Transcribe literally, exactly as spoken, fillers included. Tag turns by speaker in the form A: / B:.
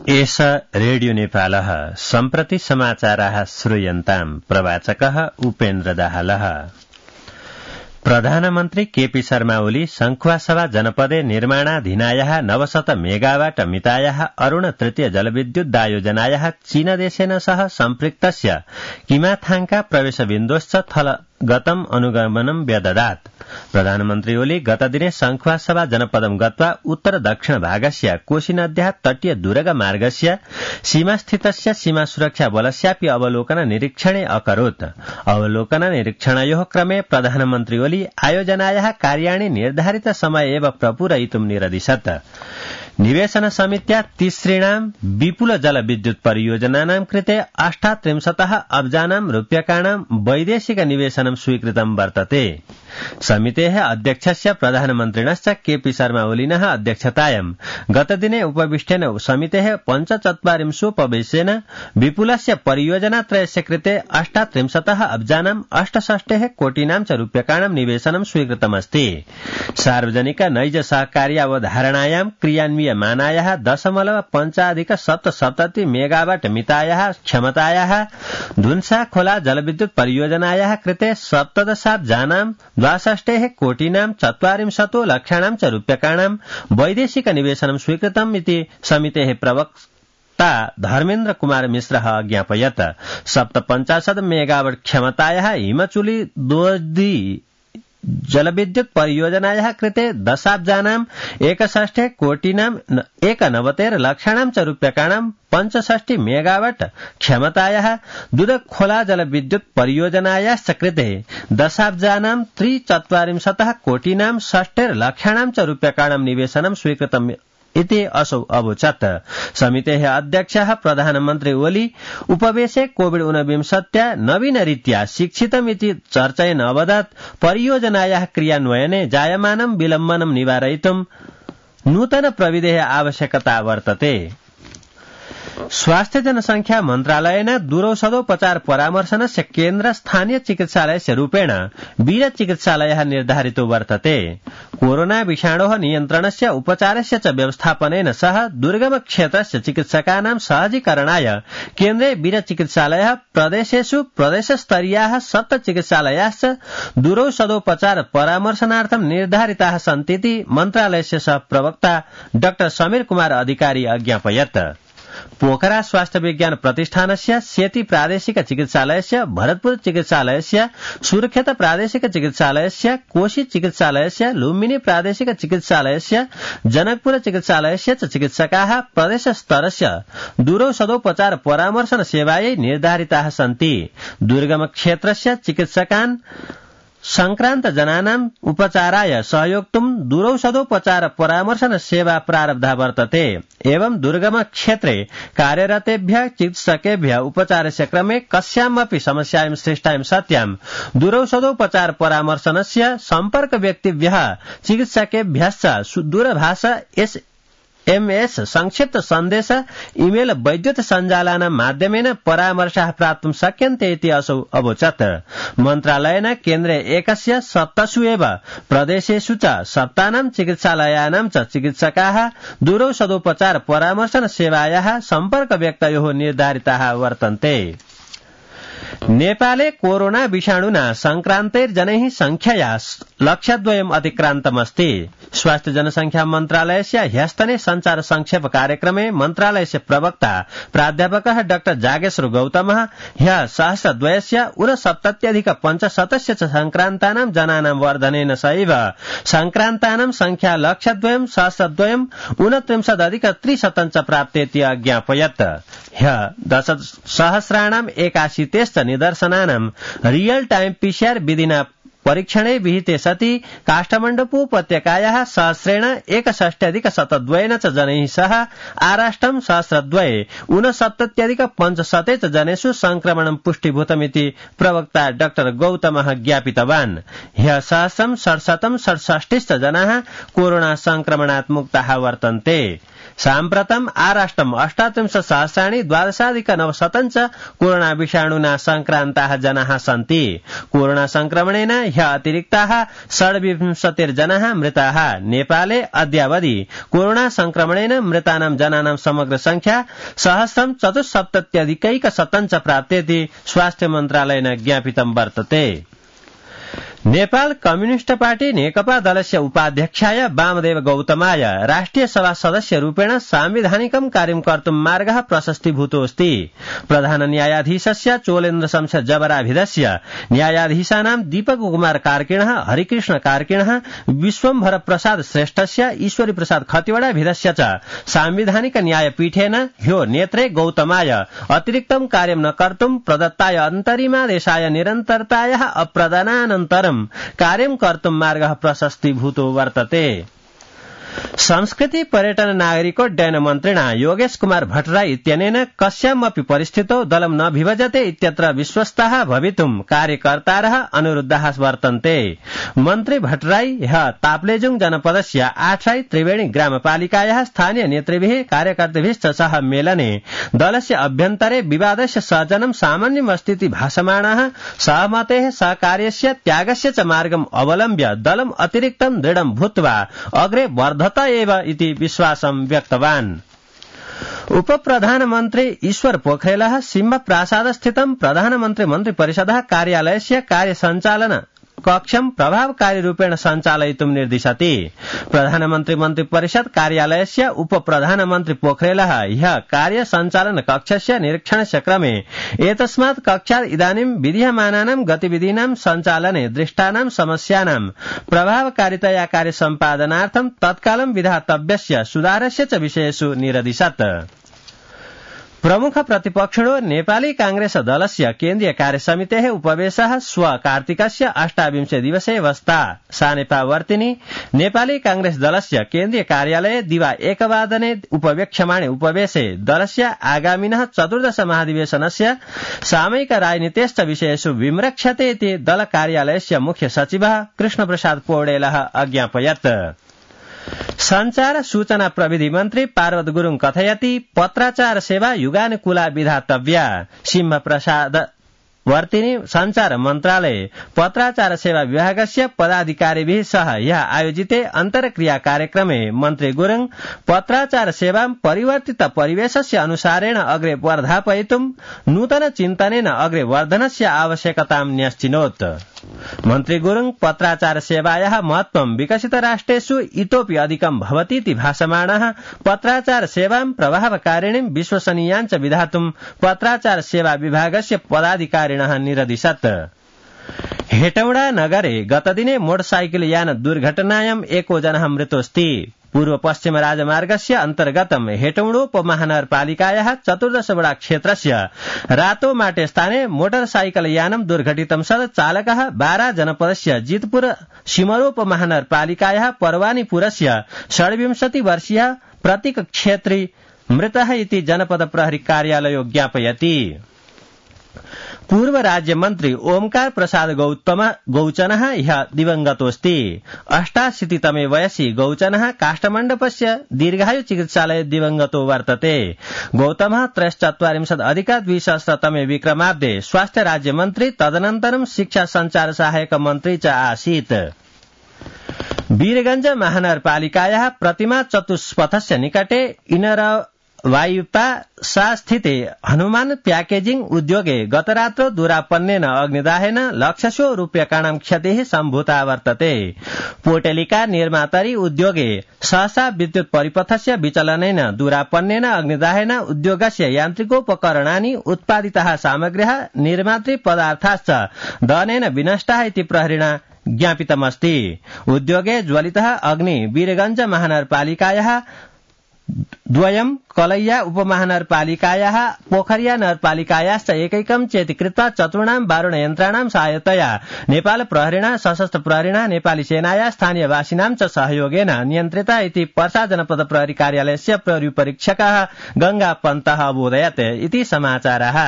A: एष रेडियो नेपालः सम्प्रति समाचाराः श्रूयन्ताम् प्रवाचकः उपेन्द्र दाहालः। प्रधानमन्त्री केपी शर्मा ओली शङ्खुवासभा जनपदे निर्माणाधीनायाः नवशत मेगावाट मितायाः अरूण तृतीय जलविद्युद्दायोजनायाः चीनदेशेन सह सम्पृक्तस्य किमाथाङका प्रवेशबिन्दोश्च थल गतम् अनुगमनं व्यददात्। प्रधानमन्त्री ओली गतदिने शङ्खुवासभा जनपदं गत्वा उत्तर दक्षिण भागस्य कोशीनद्याः तटीय दुर्ग मार्गस्य सीमास्थितस्य सीमा सुरक्षा बलस्यापि अवलोकन निरीक्षणे अकरोत्। अवलोकन निरीक्षणयोः क्रमे प्रधानमन्त्री ओली आयोजनायाः कार्याणि निर्धारित समय एव प्रपूरयितुं निरदिशत्। निवेशन समित्या तिसृणां विपुल जलविद्युत परियोजनानां कृते अष्टात्रिंशतः अब्जानां रूप्यकाणां वैदेशिक निवेशनं स्वीकृतं वर्तते। समितेः अध्यक्षस्य प्रधानमन्त्रिणश्च केपी शर्मा ओलिनः अध्यक्षतायां गतदिने उपविष्टेन समितेः पञ्चचत्वारिंशोपवेशेन विपुलस्य परियोजनात्रयस्य कृते अष्टात्रिंशतः अब्जानां अष्टषष्टेः कोटिनां च रूप्यकाणां निवेशनं स्वीकृतमस्ति। सार्वजनिक नैज सहकार्य अवधारणायां क्रियान्वयमानायाः दशमलव पञ्चाधिक सप्तसप्तति मेगावाट मितायाः क्षमतायाः धुन्सा खोला जलविद्युत परियोजनायाः कृते सप्तदशाब्जानां द्वाषष्टेः कोटिनां चत्वारिंशतो लक्षाणां च रूप्यकाणां वैदेशिक निवेशनं स्वीकृतम् इति समितेः प्रवक्ता धर्मेन्द्र कुमार मिश्रः अज्ञापयत्। सप्तपञ्चाशत् मेगावाट क्षमतायाः हिमचुली दोदी जलविद्युत परियोजनायाः कृते दशाब्जानाम् एकषष्ठे कोटिनां एकनवतेर लक्षाणां च रूप्यकाणां पञ्चषष्टि मेगावाट क्षमतायाः दुधखोला जलविद्युत परियोजनायाश्च कृते दशाब्जानां त्रिचत्वारिंशतः कोटिनां षष्टेर लक्षाणां च रूप्यकाणां निवेशनं स्वीकृतम् इति असौ अवोचत्। समितेः अध्यक्षः प्रधानमन्त्री ओली उपवेशे कोविड ऊनविंशत्या नवीनरीत्या शिक्षितमिति चर्चयन् अवदत् परियोजनायाः क्रियान्वयने जायमानं विलम्बनं निवारयितुं नूतन प्रविधेः आवश्यकता वर्तते। स्वास्थ्य जनसंख्या मन्त्रालयेन दूरौषधोपचार परामर्शनस्य केन्द्र स्थानीय चिकित्सालयस्य रूपेण वीर चिकित्सालयः निर्धारितो वर्तते। कोरोना विषाणोः नियन्त्रणस्य उपचारस्य च व्यवस्थापनेन सह दुर्गम क्षेत्रस्य चिकित्सकानां सहजीकरणाय केन्द्रे वीर चिकित्सालयः प्रदेशेषु प्रदेशस्तरीयाः सप्त चिकित्सालयाश्च दूरौषधोपचार परामर्शनार्थं निर्धारिताः सन्तीति मन्त्रालयस्य सह प्रवक्ता डाक्टर समीर कुमार अधिकारी अज्ञापयत्। पोखरा स्वास्थ्य विज्ञान प्रतिष्ठानस्य सेती प्रादेशिक चिकित्सालयस्य भरतपुर चिकित्सालयस्य सुर्खेत प्रादेशिक चिकित्सालयस्य कोशी चिकित्सालयस्य लुम्बिनी प्रादेशिक चिकित्सालयस्य जनकपुर चिकित्सालयस्य च चिकित्सकाः प्रदेशस्तरस्य दूरौषधोपचार परामर्शन सेवायै निर्धारिताः सन्ति। दुर्गम क्षेत्रस्य चिकित्सकान् संक्रांत जनानां उपचाराय सहयोक्तुं दूरौषधोपचार परामर्शन सेवा प्रारब्धा वर्तते। एवं दुर्गम क्षेत्रे कार्यरतेभ्यः चिकित्सकेभ्यः उपचारस्य क्रमे कस्यामपि समस्यायां सृष्टायां सत्यां दूरौषधोपचार परामर्शनस्य सम्पर्क व्यक्तिभ्यः चिकित्सकेभ्यश्च दूरभाष एस एमएस संक्षिप्त सन्देश इमेल वैद्युत सञ्जालानां माध्यमेन परामर्शाः प्राप्तुं शक्यन्ते इति असौ अवोचत्। मन्त्रालयेन केन्द्रे एकस्य सप्तसु एव प्रदेशेषु च सप्तानां चिकित्सालयानां च चिकित्सकाः दूरौषधोपचार परामर्शन सेवायाः सम्पर्क व्यक्तयोः निर्धारिताः वर्तन्ते। नेपाले कोरोना विषाणुना संक्रान्तैर्जनैः संख्यया लक्षद्वयम् अतिक्रान्तमस्ति। स्वास्थ्य जनसंख्या मन्त्रालयस्य ह्यस्तने संचार संक्षेप कार्यक्रमे मन्त्रालयस्य प्रवक्ता प्राध्यापकः डाक्टर जागेश्वर गौतमः ह्यः सहस्रद्वयस्य ऊनसप्तत्यधिक पञ्चशतस्य च संक्रान्तानां जनानां वर्धनेन सहैव संक्रान्तानां संख्या लक्षद्वयम् सहस्रद्वयम् ऊनत्रिंशदधिक त्रिशतं च प्राप्तेति अज्ञापयत्। ह्यः दश सहस्राणाम् एकाशीतेश्च निदर्शनानां रियल टाइम पीसीआर विधिना परीक्षणे विहिते सति काष्ठमण्डपोपत्यकायाः सहस्रेण एकषष्ट्यधिक शतद्वयेन च जनैः सह आराष्ट्रं सहस्रद्वये ऊनसप्तत्यधिक पञ्चशते च जनेषु संक्रमणं पुष्टिभूतमिति प्रवक्ता डाक्टर गौतमः ज्ञापितवान्। ह्यः सहस्रं षट्शतं षट्षष्टिश्च जनाः कोरोना संक्रमणात् मुक्ताः वर्तन्ते। साम्प्रतम् आराष्ट्रम् अष्टात्रिंशत् सहस्राणि द्वादशाधिक नवशतं च कोरोना विषाणुना संक्रान्ताः जनाः सन्ति। कोरोना संक्रमणेन ह्यः अतिरिक्ताः षड्विंशतिर्जनाः मृताः। नेपाले अद्यावधि कोरोना संक्रमणेन मृतानां जनानां समग्र संख्या सहस्रं चतुस्सप्तत्यधिकैकशतं च प्राप्तेति स्वास्थ्य मन्त्रालयेन ज्ञापितं वर्तते। नेपाल कम्युनिष्ट पार्टी नेकपा दलस्य उपाध्यक्षाय वामदेव गौतमाय राष्ट्रिय सभा सदस्य रूपेण सांविधानिकं कार्यं कर्तुं मार्गः प्रशस्तीभूतोऽस्ति। प्रधान न्यायाधीशस्य चोलेन्द्र शमशेर जबराभिधस्य न्यायाधीशानां दीपक कुमार कार्किणः, हरिकृष्ण कार्किणः, विश्वम्भर प्रसाद श्रेष्ठस्य, ईश्वरी प्रसाद खतिवड़ाभिधस्य च सांविधानिक न्यायपीठेन ह्यो नेत्रे गौतमाय अतिरिक्तं कार्यं न कर्तुं प्रदत्ताय अन्तरिमादेशाय निरन्तरतायाः अप्रदानानन्तरं कार्यं कर्तुं मार्गः प्रशस्तीभूतो वर्तते। संस्कृति पर्यटन नागरिकोड्डयन मन्त्रिणा योगेश कुमार भट्टराई इत्यनेन कस्यामपि परिस्थितौ दलं न विभजते इत्यत्र विश्वस्ताः भवितुं कार्यकर्तारः अनुरुद्धाः वर्तन्ते। मन्त्री भट्टराई ह्यः ताप्लेजुङ जनपदस्य आठराई त्रिवेणी ग्रामपालिकायाः स्थानीय नेतृभिः कार्यकर्तृभिश्च सह मेलने दलस्य अभ्यन्तरे विवादस्य सजनं सामान्यमस्तीति भाषमाणाः सहमतेः सहकार्यस्य त्यागस्य च मार्गम् अवलम्ब्य दलम् अतिरिक्तं दृढं भूत्वा अग्रे वर्धत एव इति विश्वासं व्यक्तवान्। उप प्रधानमन्त्री ईश्वर पोखरेलः सिंह प्रासादस्थितं प्रधानमन्त्री मन्त्रिपरिषदः कार्यालयस्य कार्यसञ्चालन कक्षं प्रभावकारी रूपेण सञ्चालयितुं निर्दिशति। प्रधानमन्त्री मन्त्रिपरिषद कार्यालयस्य उप प्रधानमन्त्री पोखरेलः ह्यः कार्य सञ्चालन कक्षस्य निरीक्षणस्य क्रमे एतस्मात् कक्षात् इदानीं विधीयमानानां गतिविधीनां सञ्चालने दृष्टानां समस्यानां प्रभावकारितया कार्य सम्पादनार्थं तत्कालं विधातव्यस्य सुधारस्य च विषयेषु निरदिशत्। प्रमुख प्रतिपक्षिणो नेपाली कांग्रेस दलस्य केन्द्रीय कार्यसमितेः उपवेशः श्व कार्तिकस्य अष्टाविंशे दिवसे वस्ता सानेपावर्तिनि नेपाली कांग्रेस दलस्य केन्द्रीय कार्यालये दिवा एकवादने उपवेक्ष्यमाणे उपवेशे दलस्य आगामिनः चतुर्दश महाधिवेशनस्य सामयिक राजनीतेश्च विषयेषु विमृक्षते इति दल कार्यालयस्य मुख्य सचिवः कृष्णप्रसाद पौडेलः अज्ञापयत्। संचार सूचना प्रविधि मन्त्री पार्वत गुरुङ कथयति पत्राचार सेवा युगानुकूला विधातव्या। सिंह प्रसाद वर्तिनी संचार मन्त्रालय पत्राचार सेवा विभागस्य पदाधिकारीभिः सह यः आयोजिते अन्तर्क्रिया कार्यक्रमे मन्त्री गुरुङ पत्राचार सेवां परिवर्तित परिवेशस्य अनुसारेण अग्रे वर्धापयितुं नूतन चिन्तनेन अग्रे वर्धनस्य आवश्यकतां न्यश्चिनोत्। मन्त्री गुरुङ पत्राचार सेवायाः महत्त्वं विकसित राष्ट्रेषु इतोपि अधिकं भवतीति भाषमाणः पत्राचार सेवां प्रभावकारिणीं विश्वसनीयाञ्च विधातुं पत्राचार सेवा विभागस्य पदाधिकारिणः निरदिशत्। हेटौडा नगरे गतदिने मोटरसाइकल यान दुर्घटनायां एको जनः मृतोऽस्ति। पूर्व पश्चिम राजमार्गस्य अन्तर्गतं हेटौडोपमहानगरपालिकायाः चतुर्दश वडा क्षेत्रस्य रातोमाटे स्थाने मोटरसाइकल यानं दुर्घटितं सद् चालकः बारा जनपदस्य जितपुर सिमरोपमहानगरपालिकायाः पर्वानीपुरस्य षड्विंशति वर्षीयः प्रतीक क्षेत्री मृतः इति जनपद प्रहरी कार्यालयो ज्ञापयति। पूर्व राज्य मन्त्री ओमकार प्रसाद गौतम गौचनः ह्यः दिवंगतोऽस्ति। अष्टाशीतितमे वयसि गौचनः काष्ठमण्डपस्य दीर्घायु चिकित्सालये दिवंगतो वर्तते। गौतमः त्रयश्चत्वारिंशत् अधिक द्विसहस्रतमे विक्रमाब्दे स्वास्थ्य राज्य मन्त्री तदनन्तरं शिक्षा सञ्चार सहायक मन्त्री च आसीत्। वीरगंज महानगरपालिकायाः प्रतिमा चतुष्पथस्य निकटे इनर वायुपा सा स्थिते हनुमान प्याकेजिंग उद्योगे गतरात्रौ दुरापन्नेन अग्निदाहेन लक्षशो रूप्यकाणां क्षतिः सम्भूता वर्तते। पोटेलिका निर्मातरी उद्योगे सहसा विद्युत परिपथस्य विचलनेन दुरापन्नेन अग्निदाहेन उद्योगस्य यान्त्रिकोपकरणानि उत्पादिताः सामग्र्यः निर्मातृ पदार्थाश्च दहनेन विनष्टाः इति प्रहरिणा ज्ञापितमस्ति। उद्योगे ज्वलितः अग्नि वीरगंज महानगरपालिकायाः द्वयं कलैया उपमहानगरपालिकायाः पोखरिया नगरपालिकायाश्च एकैकं चेति कृत्वा चतुर्णां वारुणयन्त्राणां सहायतया नेपाल प्रहरिणा सशस्त्र प्रहरिणा नेपाली सेनाया स्थानीयवासिनां च सहयोगेन नियन्त्रिता इति पर्सा जनपद प्रहरी कार्यालयस्य प्रहरी परीक्षकः गंगा पन्तः अबोधयत् इति समाचारः।